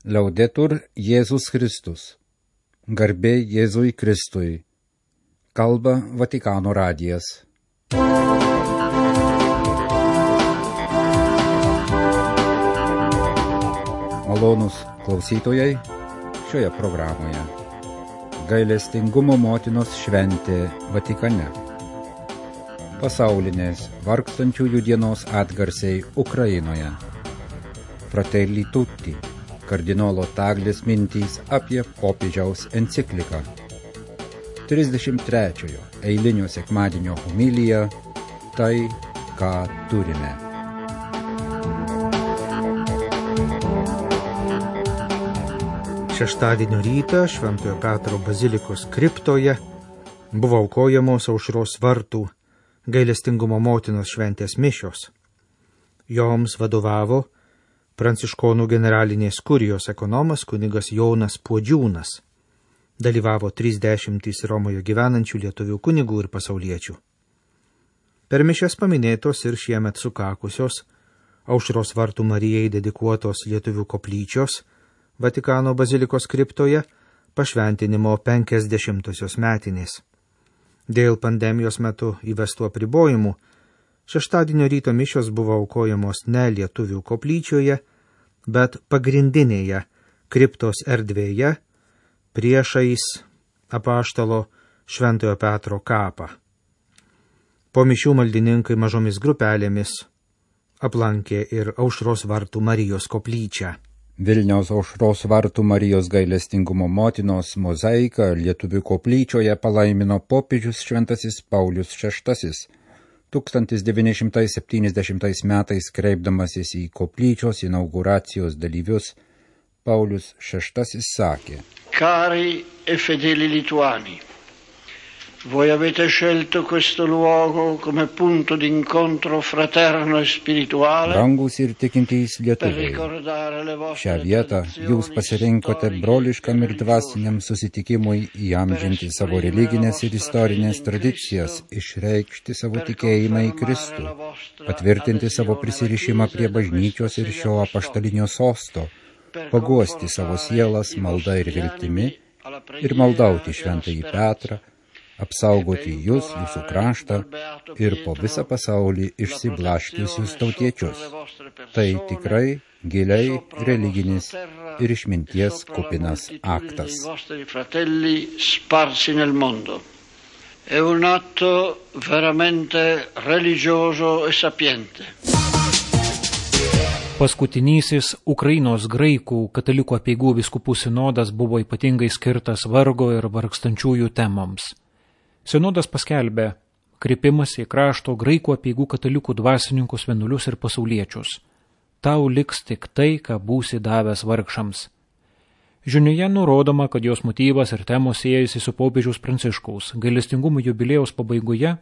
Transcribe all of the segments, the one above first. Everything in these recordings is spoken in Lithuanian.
Liaudetur Jėzus Kristus. Garbė Jėzui Kristui. Kalba Vatikano radijas. Malonūs klausytojai, šioje programoje gailestingumo motinos šventė Vatikane. Pasaulinės vargstančiųjų dienos atgarsiai Ukrainoje. Fratelli tutti. Kardinolo Taglis mintys apie popiežiaus encikliką. 33-ojo eilinio sekmadienio homilija Tai, ką turime. Šeštadienio rytą Šventojo Petro bazilikos kriptoje buvo aukojamos Aušros vartų gailestingumo motinos šventės mišios. Joms vadovavo Pranciškonų generalinės kurijos ekonomas kunigas Jonas Puodžiūnas. Dalyvavo 30 Romoje gyvenančių lietuvių kunigų ir pasauliečių. Per mišias paminėtos ir šiemet sukakusios Aušros vartų Marijai dedikuotos lietuvių koplyčios Vatikano bazilikos kriptoje pašventinimo 50-osios metinės. Dėl pandemijos metu įvestų apribojimų šeštadienio ryto mišios buvo aukojamos ne lietuvių koplyčioje, bet pagrindinėje kriptos erdvėje priešais apaštalo Šventojo Petro kapą. Po mišių maldininkai mažomis grupelėmis aplankė ir Aušros vartų Marijos koplyčią. Vilniaus Aušros vartų Marijos gailestingumo motinos mozaiką lietuvių koplyčioje palaimino popiežius Šventasis Paulius VI. 1970 metais kreipdamasis į koplyčios inauguracijos dalyvius, Paulius VI sakė: Cari e fedeli lituani, voi avete scelto questo luogo come punto d'incontro fraterno e spirituale. Brangūs ir tikintys lietuviai, šią vietą jūs pasirinkote broliškam ir dvasiniam susitikimui įamžinti savo religinės ir istorinės tradicijas, išreikšti savo tikėjimą į Kristų, patvirtinti savo prisirišimą prie bažnyčios ir šio apaštalinio sosto, paguosti savo sielas malda ir viltimi ir maldauti Šventąjį Petrą, apsaugoti jūs, jūsų kraštą ir po visą pasaulį išsiblaškiusius tautiečius. Tai tikrai giliai religinis ir išminties kupinas aktas. È un atto veramente religioso e sapiente. Paskutinysis Ukrainos graikų katalikų apeigų vyskupų sinodas buvo ypatingai skirtas vargo ir vargstančiųjų temoms. Sinodas paskelbė kreipimąsi į krašto graikų apeigų katalikų dvasininkus, vienuolius ir pasauliečius. Tau liks tik tai, ką būsi davęs vargšams. Žinioje nurodoma, kad jos motyvas ir temos siejasi su popiežiaus Pranciškaus gailestingumo jubiliejaus pabaigoje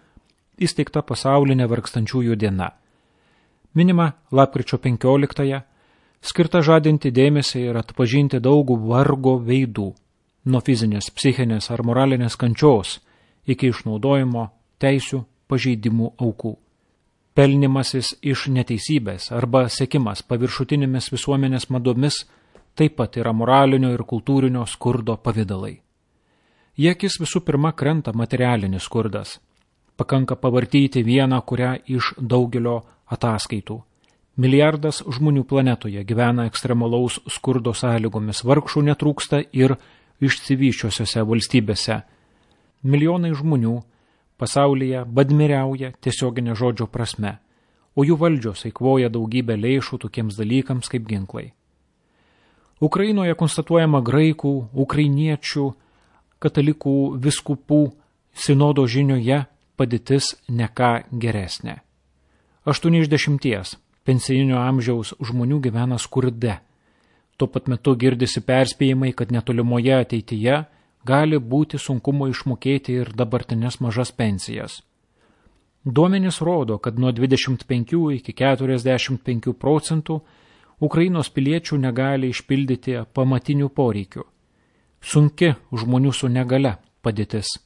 įsteigta pasaulinė vargstančiųjų diena. Minima lapkričio 15-ąją, skirta žadinti dėmesį ir atpažinti daugų vargo veidų, nuo fizinės, psichinės ar moralinės kančios iki išnaudojimo, teisių, pažeidimų aukų. Pelnimasis iš neteisybės arba sekimas paviršutinėmis visuomenės madomis taip pat yra moralinio ir kultūrinio skurdo pavidalai. Į akis visų pirma krenta materialinis skurdas. Pakanka pavartyti vieną kurią iš daugelio ataskaitų. Milijardas žmonių planetoje gyvena ekstremalaus skurdo sąlygomis, vargšų netrūksta ir išsivysčiusiose valstybėse. Milijonai žmonių pasaulyje badmiriauja tiesioginė žodžio prasme, o jų valdžios eikvoja daugybę lėšų tokiems dalykams kaip ginklai. Ukrainoje konstatuojama graikų, ukrainiečių, katalikų vyskupų sinodo žinioje padėtis ne ką geresnė. 8 iš 10 pensijinio amžiaus žmonių gyvena skurde. Tuo pat metu girdisi perspėjimai, kad netolimoje ateityje gali būti sunkumo išmokėti ir dabartinės mažas pensijas. Duomenys rodo, kad nuo 25 iki 45% Ukrainos piliečių negali išpildyti pamatinių poreikių. Sunki žmonių su negale padėtis.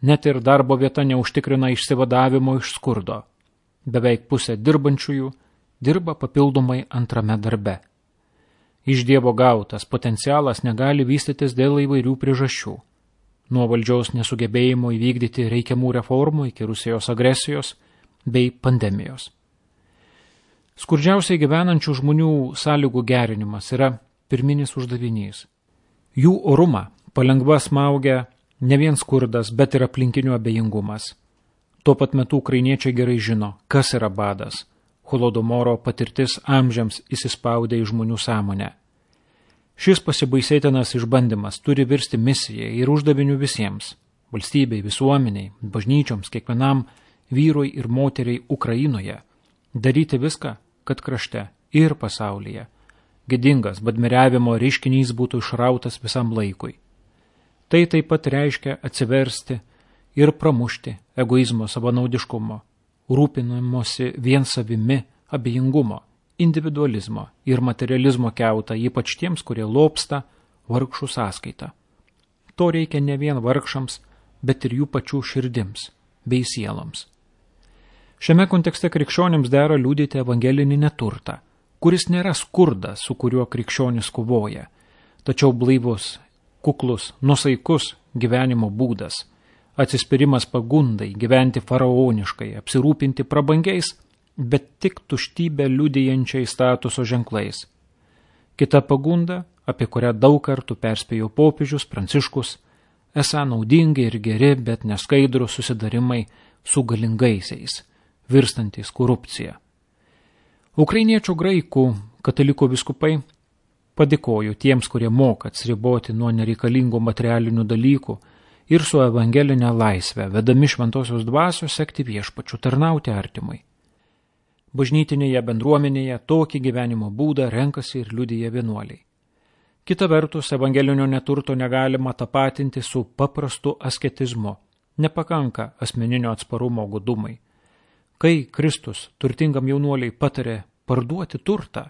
Net ir darbo vieta neužtikrina išsivadavimo iš skurdo. Beveik pusė dirbančiųjų dirba papildomai antrame darbe. Iš Dievo gautas potencialas negali vystytis dėl įvairių priežasčių. Nuo valdžiaus nesugebėjimo įvykdyti reikiamų reformų iki Rusijos agresijos bei pandemijos. Skurdžiausiai gyvenančių žmonių sąlygų gerinimas yra pirminis uždavinys. Jų orumą palengva smaugia ne vien skurdas, bet ir aplinkinių abejingumas. Tuo pat metu ukrainiečiai gerai žino, kas yra badas. Holodomoro patirtis amžiams įsispaudė į žmonių sąmonę. Šis pasibaisėtinas išbandymas turi virsti misijai ir uždaviniu visiems – valstybei, visuomeniai, bažnyčioms, kiekvienam vyrui ir moteriai Ukrainoje – daryti viską, kad krašte ir pasaulyje gėdingas badmiriavimo reiškinys būtų išrautas visam laikui. Tai taip pat reiškia atsiversti ir pramušti egoizmo savanaudiškumo, rūpinimosi vien savimi, abejingumo, individualizmo ir materializmo kiautą, ypač tiems, kurie lobsta vargšų sąskaitą. To reikia ne vien vargšams, bet ir jų pačių širdims bei sieloms. Šiame kontekste krikščionims dera liudyti evangelinį neturtą, kuris nėra skurdas, su kuriuo krikščionis kovoja, tačiau blaivus, kuklus, nusaikus gyvenimo būdas, atsispyrimas pagundai, gyventi faraoniškai, apsirūpinti prabangiais, bet tik tuštybę liudijančiai statuso ženklais. Kita pagunda, apie kurią daug kartų perspėjo popiežius Pranciškus, esą naudingi ir geri, bet neskaidrūs susidarimai su galingaisiais, virstantis korupcija. Ukrainiečių graikų katalikų vyskupai padėkojo tiems, kurie moka atsiriboti nuo nereikalingų materialinių dalykų ir su evangelinė laisvė, vedami šventosios dvasios sekti viešpačiu, tarnauti artimui. Bažnytinėje bendruomenėje tokį gyvenimo būdą renkasi ir liudija vienuoliai. Kita vertus, evangelinio neturto negalima tapatinti su paprastu asketizmu, nepakanka asmeninio atsparumo godumai. Kai Kristus turtingam jaunuoliai patarė parduoti turtą,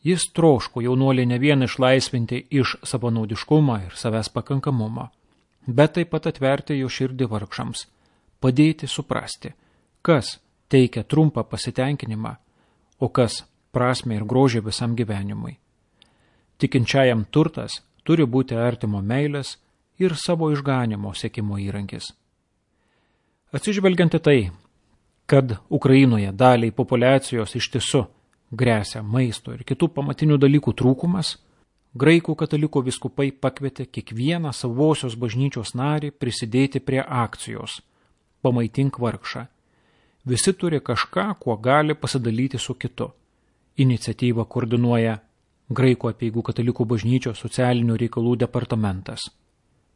jis troško jaunuolį ne vien išlaisvinti iš savanaudiškumo ir savęs pakankamumo, bet taip pat atverti jo širdį vargšams, padėti suprasti, kas teikia trumpą pasitenkinimą, o kas prasmę ir grožį visam gyvenimui. Tikinčiajam turtas turi būti artimo meilės ir savo išganimo siekimo įrankis. Atsižvelgiant į tai, kad Ukrainoje daliai populiacijos iš tiesų gresia maisto ir kitų pamatinių dalykų trūkumas, graikų katalikų vyskupai pakvietė kiekvieną savosios bažnyčios narį prisidėti prie akcijos Pamaitink vargšą. Visi turi kažką, kuo gali pasidalyti su kitu. Iniciatyvą koordinuoja Graikų apeigų katalikų bažnyčios socialinių reikalų departamentas.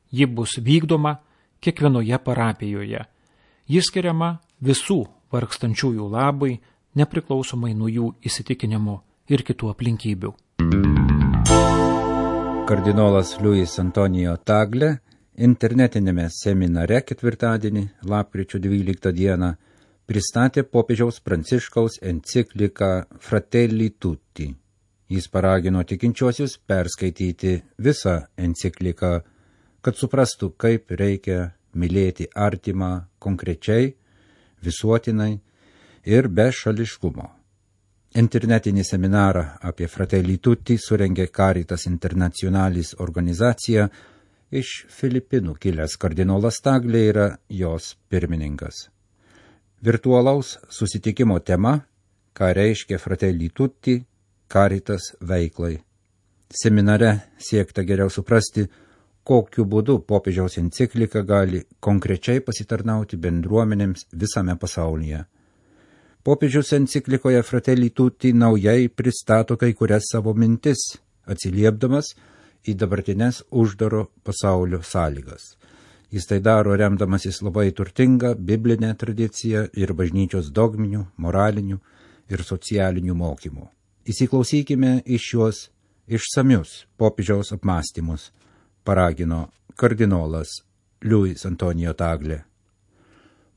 Ji bus vykdoma kiekvienoje parapijoje. Ji skiriama visų vargstančiųjų labai, nepriklausomai nuo jų įsitikinimų ir kitų aplinkybių. Kardinolas Luis Antonijo Tagle internetinėme seminare ketvirtadienį, lapkričio 12 dieną, pristatė popiežiaus Pranciškaus encikliką Fratelli Tutti. Jis paragino tikinčiuosius perskaityti visą encikliką, kad suprastų, kaip reikia mylėti artimą konkrečiai, visuotinai ir be šališkumo. Internetinį seminarą apie Fratelli Tutti surengė Caritas Internationalis organizacija, iš Filipinų kilęs kardinolas Tagle yra jos pirmininkas. Virtualaus susitikimo tema, ką reiškia Fratelli Tutti, Caritas veiklai. Seminare siekta geriau suprasti, kokiu būdu popiežiaus enciklika gali konkrečiai pasitarnauti bendruomenėms visame pasaulyje. Popiežiaus enciklikoje Fratelli Tutti naujai pristato kai kurias savo mintis, atsiliepdamas į dabartinės uždaro pasaulio sąlygas. Jis tai daro remdamasis labai turtinga biblinė tradicija ir bažnyčios dogminių, moralinių ir socialinių mokymų. Įsiklausykime į šiuos išsamius popiežiaus apmąstymus, paragino kardinolas Luis Antonijo Tagle.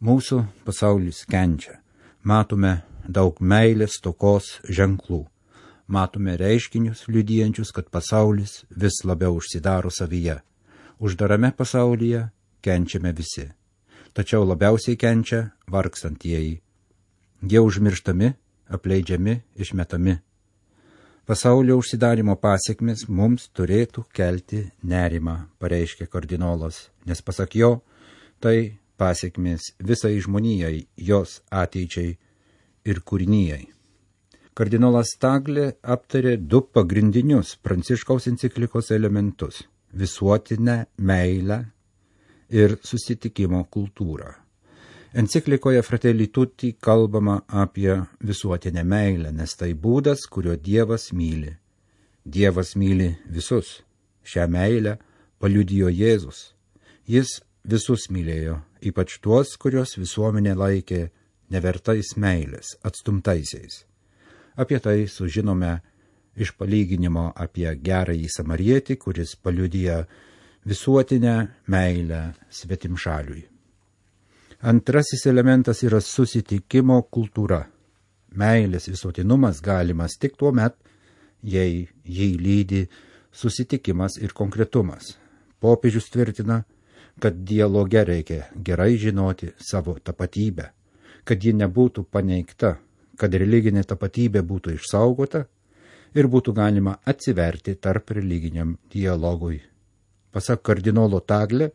Mūsų pasaulis kenčia. Matome daug meilės stokos ženklų. Matome reiškinius liudijančius, kad pasaulis vis labiau užsidaro savyje. Uždarame pasaulyje kenčiame visi. Tačiau labiausiai kenčia vargstantieji. Jie užmirštami, apleidžiami, išmetami. Pasaulio užsidarimo pasiekmes mums turėtų kelti nerimą, pareiškė kardinolas, nes pasak jo, tai pasiekmes visai žmonijai, jos ateičiai ir kūrinijai. Kardinolas Taglė aptarė 2 pagrindinius Pranciškaus enciklikos elementus – visuotinę meilę ir susitikimo kultūrą. Enciklikoje Fratelli Tutti kalbama apie visuotinę meilę, nes tai būdas, kuriuo Dievas myli. Dievas myli visus. Šią meilę paliudijo Jėzus. Jis visus mylėjo, ypač tuos, kuriuos visuomenė laikė nevertais meilės, atstumtaisiais. Apie tai sužinome iš palyginimo apie gerąjį samarietį, kuris paliudija visuotinę meilę svetimšaliui. Antrasis elementas yra susitikimo kultūra. Meilės visuotinumas galimas tik tuo met, jei jį lydi susitikimas ir konkretumas. Popiežius tvirtina, kad dialoge reikia gerai žinoti savo tapatybę, kad ji nebūtų paneigta, kad religinė tapatybė būtų išsaugota ir būtų galima atsiverti tarp religiniam dialogui. Pasak kardinolo Taglė,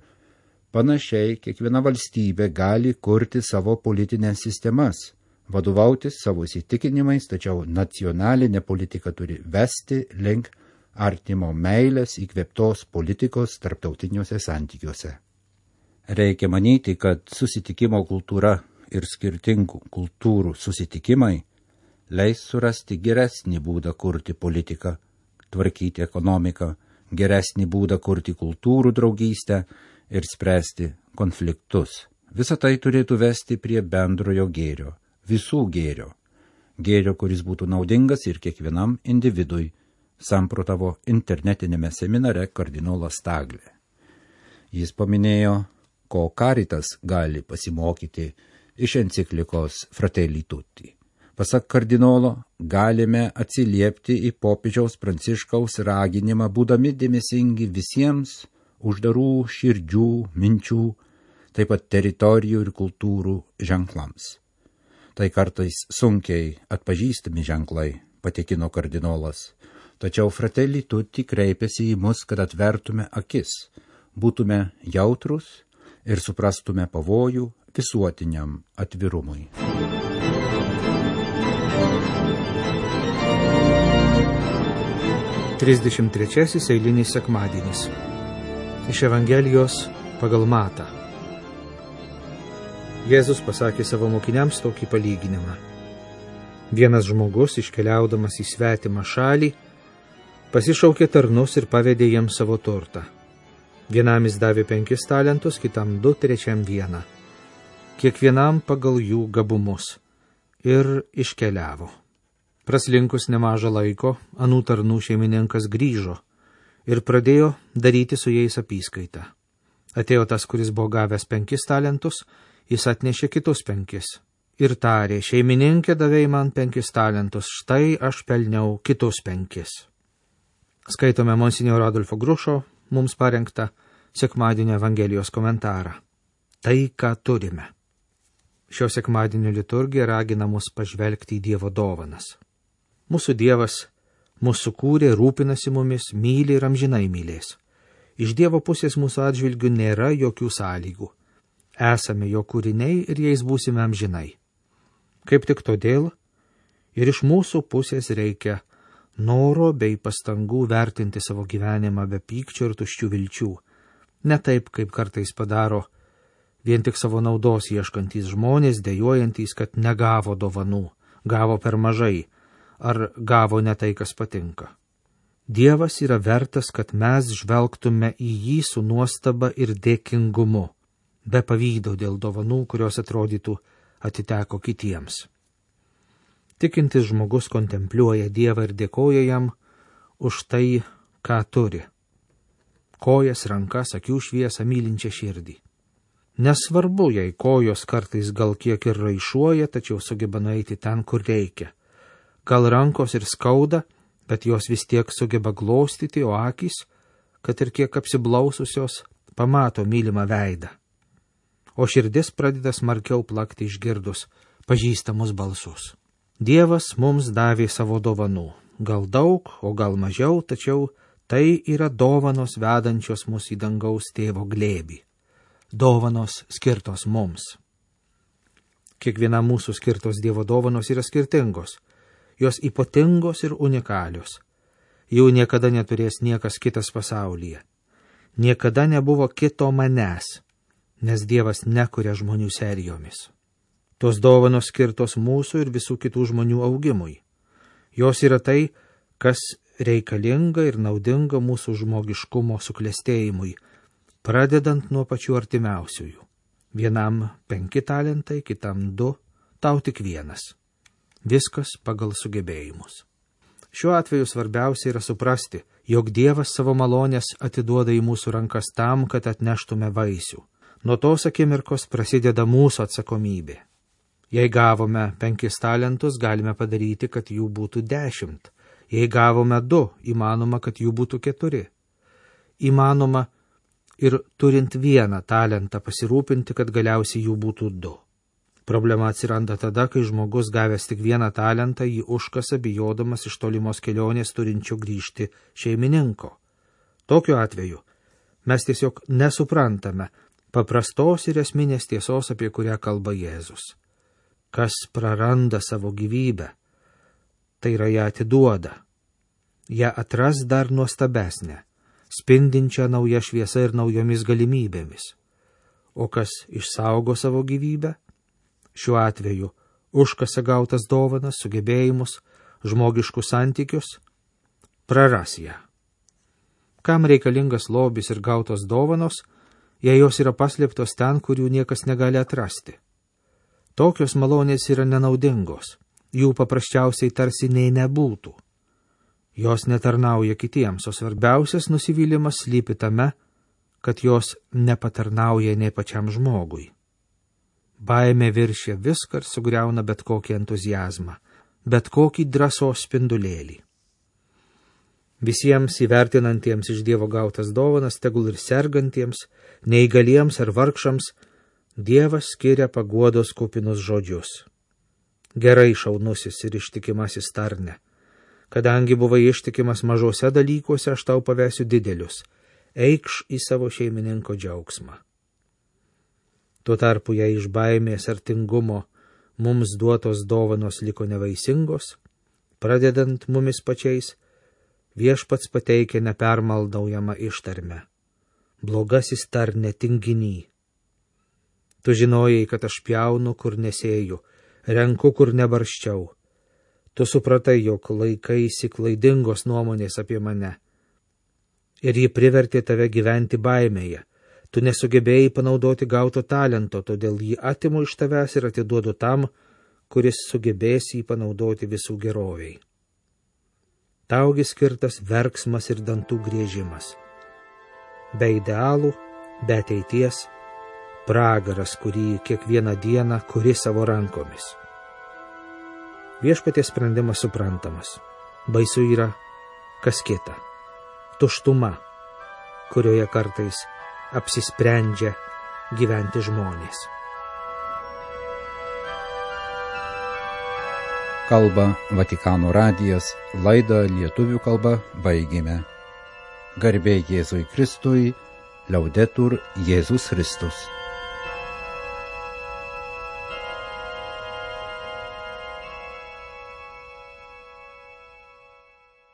panašiai kiekviena valstybė gali kurti savo politinės sistemas, vadovautis savo įsitikinimais, tačiau nacionalinė politika turi vesti link artimo meilės įkvėptos politikos tarptautiniuose santykiuose. Reikia manyti, kad susitikimo kultūra ir skirtingų kultūrų susitikimai leis surasti geresnį būdą kurti politiką, tvarkyti ekonomiką, geresnį būdą kurti kultūrų draugystę ir spręsti konfliktus. Visa tai turėtų vesti prie bendrojo gėrio, visų gėrio. Gėrio, kuris būtų naudingas ir kiekvienam individui, samprotavo internetinėme seminare kardinolas Taglė. Jis paminėjo, ko Caritas gali pasimokyti iš enciklikos Fratelli Tutti. Pasak kardinolo, galime atsiliepti į popiežiaus Pranciškaus raginimą, būdami dėmesingi visiems uždarų širdžių, minčių, taip pat teritorijų ir kultūrų ženklams. Tai kartais sunkiai atpažįstami ženklai, patikino kardinolas. Tačiau Fratelli Tutti kreipėsi į mus, kad atvertume akis, būtume jautrus ir suprastume pavojų visuotiniam atvirumui. Trisdešimt eilinis sekmadienis. Iš Evangelijos pagal Matą. Jėzus pasakė savo mokiniams tokį palyginimą. Vienas žmogus, iškeliaudamas į svetimą šalį, pasišaukė tarnus ir pavedė jiems savo turtą. Vienam jis davė 5 talentus, kitam 2, trečiam 1. Kiekvienam pagal jų gabumus. Ir iškeliavo. Praslinkus nemažą laiko, anų tarnų šeimininkas grįžo ir pradėjo daryti su jais apyskaitą. Atėjo tas, kuris buvo gavęs 5 talentus, jis atnešė kitus 5 ir tarė, šeimininkė davei man 5 talentus, štai aš pelniau kitus 5. Skaitome monsinjoro Adolfo Grušo mums parengtą sekmadienio Evangelijos komentarą. Tai, ką turime. Šio sekmadienio liturgija ragina mus pažvelgti į Dievo dovanas. Mūsų Dievas mūsų sukūrė, rūpinasi mumis, myli ir amžinai mylės. Iš Dievo pusės mūsų atžvilgių nėra jokių sąlygų. Esame jo kūriniai ir jais būsime amžinai. Kaip tik todėl ir iš mūsų pusės reikia noro bei pastangų vertinti savo gyvenimą be pykčio ir tuščių vilčių. Ne taip, kaip kartais padaro vien tik savo naudos ieškantys žmonės, dejuojantys, kad negavo dovanų, gavo per mažai, ar gavo ne tai, kas patinka. Dievas yra vertas, kad mes žvelgtume į jį su nuostaba ir dėkingumu, be pavydo dėl dovanų, kurios atrodytų atiteko kitiems. Tikintis žmogus kontempliuoja Dievą ir dėkoja jam už tai, ką turi. Kojas, rankas, akių šviesą, mylinčią širdį. Nesvarbu, jei kojos kartais gal kiek ir raišuoja, tačiau sugeba nueiti ten, kur reikia. Gal rankos ir skauda, bet jos vis tiek sugeba glostyti, o akys, kad ir kiek apsiblaususios, pamato mylimą veidą. O širdis pradeda smarkiau plakti išgirdus pažįstamus balsus. Dievas mums davė savo dovanų, gal daug, o gal mažiau, tačiau tai yra dovanos vedančios mus į dangaus tėvo glėbį. Dovanos skirtos mums. Kiekviena mūsų skirtos Dievo dovanos yra skirtingos. Jos ypatingos ir unikalios. Jų niekada neturės niekas kitas pasaulyje. Niekada nebuvo kito manęs, nes Dievas nekuria žmonių serijomis. Tos dovanos skirtos mūsų ir visų kitų žmonių augimui. Jos yra tai, kas reikalinga ir naudinga mūsų žmogiškumo suklestėjimui, pradedant nuo pačių artimiausiųjų. Vienam 5 talentai, kitam 2, tau tik 1. Viskas pagal sugebėjimus. Šiuo atveju svarbiausia yra suprasti, jog Dievas savo malonės atiduoda į mūsų rankas tam, kad atneštume vaisių. Nuo tos akimirkos prasideda mūsų atsakomybė. Jei gavome 5 talentus, galime padaryti, kad jų būtų 10. Jei gavome 2, įmanoma, kad jų būtų 4. Įmanoma ir turint 1 talentą pasirūpinti, kad galiausiai jų būtų 2. Problema atsiranda tada, kai žmogus gavęs tik 1 talentą jį užkasa bijodamas iš tolimos kelionės turinčio grįžti šeimininko. Tokiu atveju mes tiesiog nesuprantame paprastos ir esminės tiesos, apie kurią kalba Jėzus. Kas praranda savo gyvybę, tai yra ją atiduoda. Ją atras dar nuostabesnę, spindinčią naują šviesą ir naujomis galimybėmis. O kas išsaugo savo gyvybę, šiuo atveju užkasa gautas dovanas, sugebėjimus, žmogiškus santykius, praras ją. Kam reikalingas lobis ir gautos dovanos, jei jos yra paslėptos ten, kur jų niekas negali atrasti? Tokios malonės yra nenaudingos, jų paprasčiausiai tarsi nei nebūtų. Jos netarnauja kitiems, o svarbiausias nusivylimas slypi tame, kad jos nepatarnauja nei pačiam žmogui. Baimė viršia viską ir sugriauna bet kokį entuziazmą, bet kokį drąsos spindulėlį. Visiems įvertinantiems iš Dievo gautas dovanas, tegul ir sergantiems, neįgaliems ar vargšams, Dievas skiria paguodos kupinus žodžius. Gerai, šaunusis ir ištikimasis tarne. Kadangi buvai ištikimas mažose dalykuose, aš tau pavesiu didelius. Eikš į savo šeimininko džiaugsmą. Tuo tarpu, jei iš baimės ar tingumo mums duotos dovanos liko nevaisingos, pradedant mumis pačiais, Viešpats pateikia nepermaldaujamą ištarmę. Blogasis tarne tinginy. Tu žinojai, kad aš pjaunu, kur nesėju, renku, kur nebarščiau. Tu supratai, jog laikaisi klaidingos nuomonės apie mane. Ir ji privertė tave gyventi baimėje. Tu nesugebėjai panaudoti gauto talento, todėl jį atimu iš tavęs ir atiduodu tam, kuris sugebės jį panaudoti visų geroviai. Taugi skirtas verksmas ir dantų griežimas. Be idealų, be ateities, pragaras, kurį kiekvieną dieną kuri savo rankomis. Viešpaties sprendimas suprantamas. Baisu yra kas kita. Tuštuma, kurioje kartais apsisprendžia gyventi žmonės. Kalba Vatikano radijas, laidą lietuvių kalba baigėme. Garbė Jėzui Kristui, Liaudetur Jėzus Kristus.